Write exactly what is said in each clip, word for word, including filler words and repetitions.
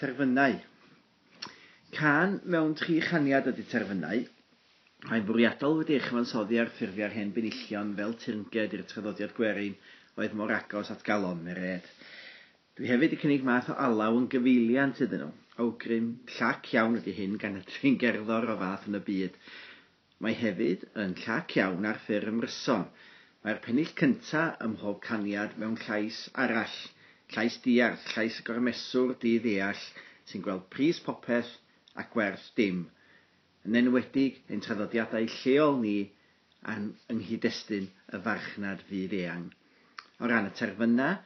Terfynau. Cân mewn tri chaniad ydy Terfynau. Mae'n fwriadol wedi ei chyfansoddi ar ffurfiau'r hen benillion fel teyrnged i'r traddodiad gwerin oedd mor agos at galon Merêd. Dwi hefyd wedi cynnig math o alaw yn gyfeiliant iddyn nhw. Awgrym llac iawn ydy hyn gan y tri'n gerddor o fath yn y byd. Mae hefyd yn llac iawn ar ffurf ymryson. Mae'r pennill cynta ym mhob caniad mewn llais arall, llais diarth, llais y gormeswr di-ddeall sy'n gweld pris popeth a gwerth dim. Yn enwedig ein traddodiadau lleol ni a'n yng nghyd-destun y farchnad fyd eang. O ran y terfynau,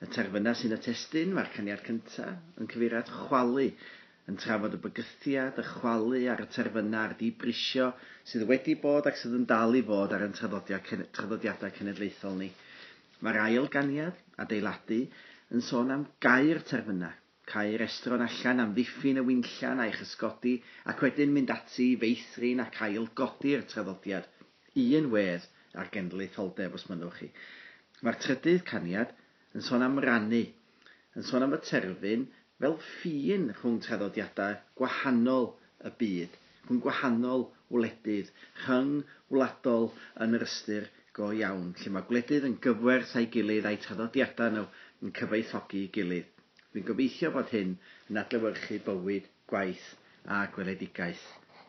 y terfynau sy'n y testun, mae'r caniad cyntaf yn cyfeirio at chwalu, yn trafod y bygythiad, y chwalu ar y terfynau a'r dibrisio sydd wedi bod ac sydd yn dal i fod ar ein traddodiadau cenedlaethol ni. Mae'r ail ganiad, adeiladu, yn sôn am gau'r terfynau, cau'r estron allan am ddiffyn y winllan a'i chysgodi ac wedyn mynd ati i feithrin ac ailgodi'r traddodiad, un wedd ar genedlaetholdeb os mynnwch chi. Mae'r trydydd caniad yn sôn am rannu, yn sôn am y terfyn fel ffin rhwng traddodiadau gwahanol y byd, rhwng gwahanol wledydd, rhyngwladol yn yr ystyr go iawn, lle mae gwledydd yn gyfwerth a'i gilydd a'i traddodiadau nhw yn cyfoethogi'i gilydd. Dwi'n gobeithio bod hyn yn adlewyrchu bywyd, gwaith a gweledigaeth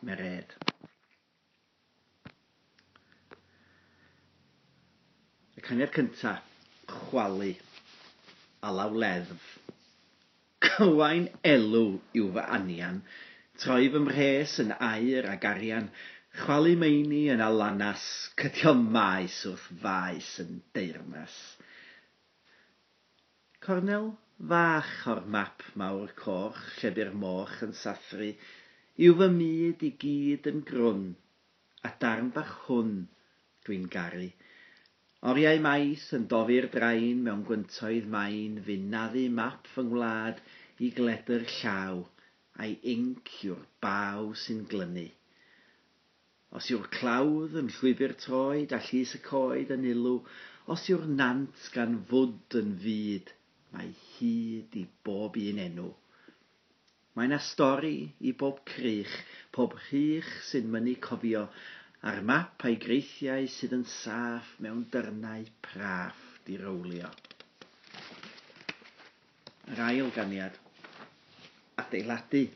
Merêd. Y caniad cyntaf, chwalu, alaw leddf. Cywain elw yw fy anian, troi fy mhres yn aur ag arian, chwalu meini yn alanas, cydio maes wrth faes yn deyrnas. Cornel fach o'r map mawr coch, lle bu'r moch yn sathru, yw fy myd i gyd yn grwn, a darn bach hwn dwi'n garu. Oriau maith yn dofi'r drain mewn gwyntoedd main, fu'n naddu map fy ngwlad i gledr llaw, a'i inc yw'r baw sy'n glynu. Os yw'r clawdd yn llwybr troed a llys y coed yn ilw, os yw'r nant gan fwd yn fyd, mae hyd i bob un enw. Mae 'na stori i bob crych, pob rhych sy'n mynnu cofio, a'r map a'i greithiau sydd yn saff mewn dyrnau praff dirowlio. Yr ail ganiad, adeiladu,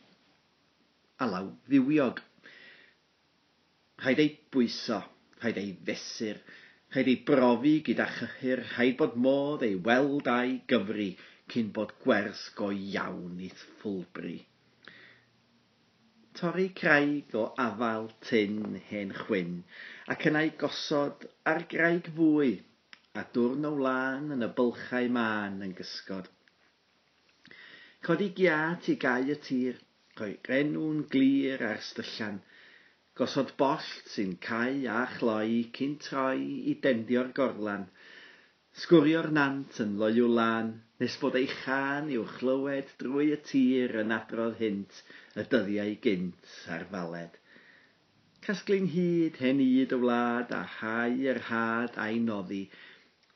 alaw fywiog. Rhaid ei bwyso, rhaid ei fesur, rhaid ei brofi gyda chyhyr, rhaid bod modd ei weld a'i gyfri cyn bod gwers go iawn i'th ffwlbri. Torri craig o afael tyn hen chwyn, ac yna'i gosod ar graig fwy, a dwrn o wlân yn y bylchau mân yn gysgod. Codi giât i gau y tir, rhoi enw'n glir ar styllian, gosod bollt sy'n cau a chloi cyn troi i dendio'r gorlan, sgwrio'r nant yn loyw lân, nes bod ei chân i'w chlywed drwy y tir yn adrodd hynt y dyddiau gynt ar faled. Casglu'n hyd hen yd y wlad a hau yr had a'i noddi,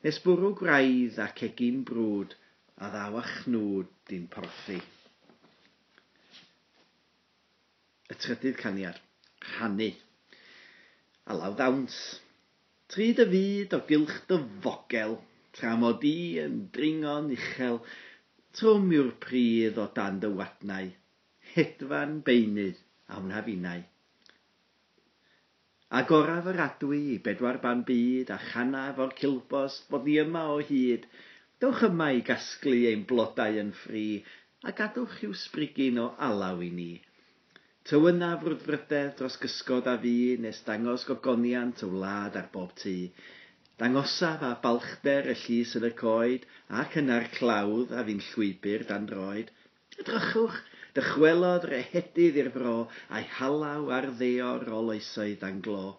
nes bwrw gwraidd ac egin brwd a ddaw a chnwd i'n porthi. Y trydydd caniad, rhannu. Alaw ddawns. Tri dy fyd o gylch dy fogel, tra mod i yn dringo'n uchel, trwm yw'r pridd o dan dy wadnau, hedfan beunydd a wna finnau. Agoraf yr adwy i bedwar ban byd a chanaf o'r cilbost bod ni yma o hyd, dewch yma i gasglu ein blodau yn ffri, a gadwch i'w sbrigyn o alaw i ni. Tywyna frwdfrydedd dros gysgod a fi, nes dangos gogoniant y wlad ar bob tŷ. Dangosaf a balchder y llys yn y coed, ac yna'r clawdd a fi'n llwybr dan droed. Edrychwch, dychwelodd rehedydd i'r fro, a'i halaw ar ddeor o loesoedd dan glo.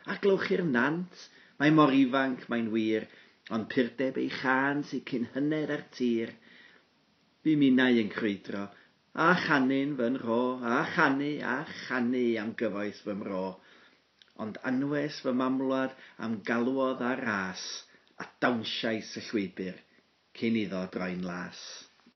A glywch i'r nant, mae mor ifanc, mae'n wir, ond purdeb ei chân sy'n cyn hyned ar tir. Bu minnau yn crwydro, a chanu'n fy nro, a chanu, a chanu am gyfoeth fy mro. Ond anwes fy mamwlad am galwodd ar ras, a dawnsiais y llwybr cyn iddo droi'n las.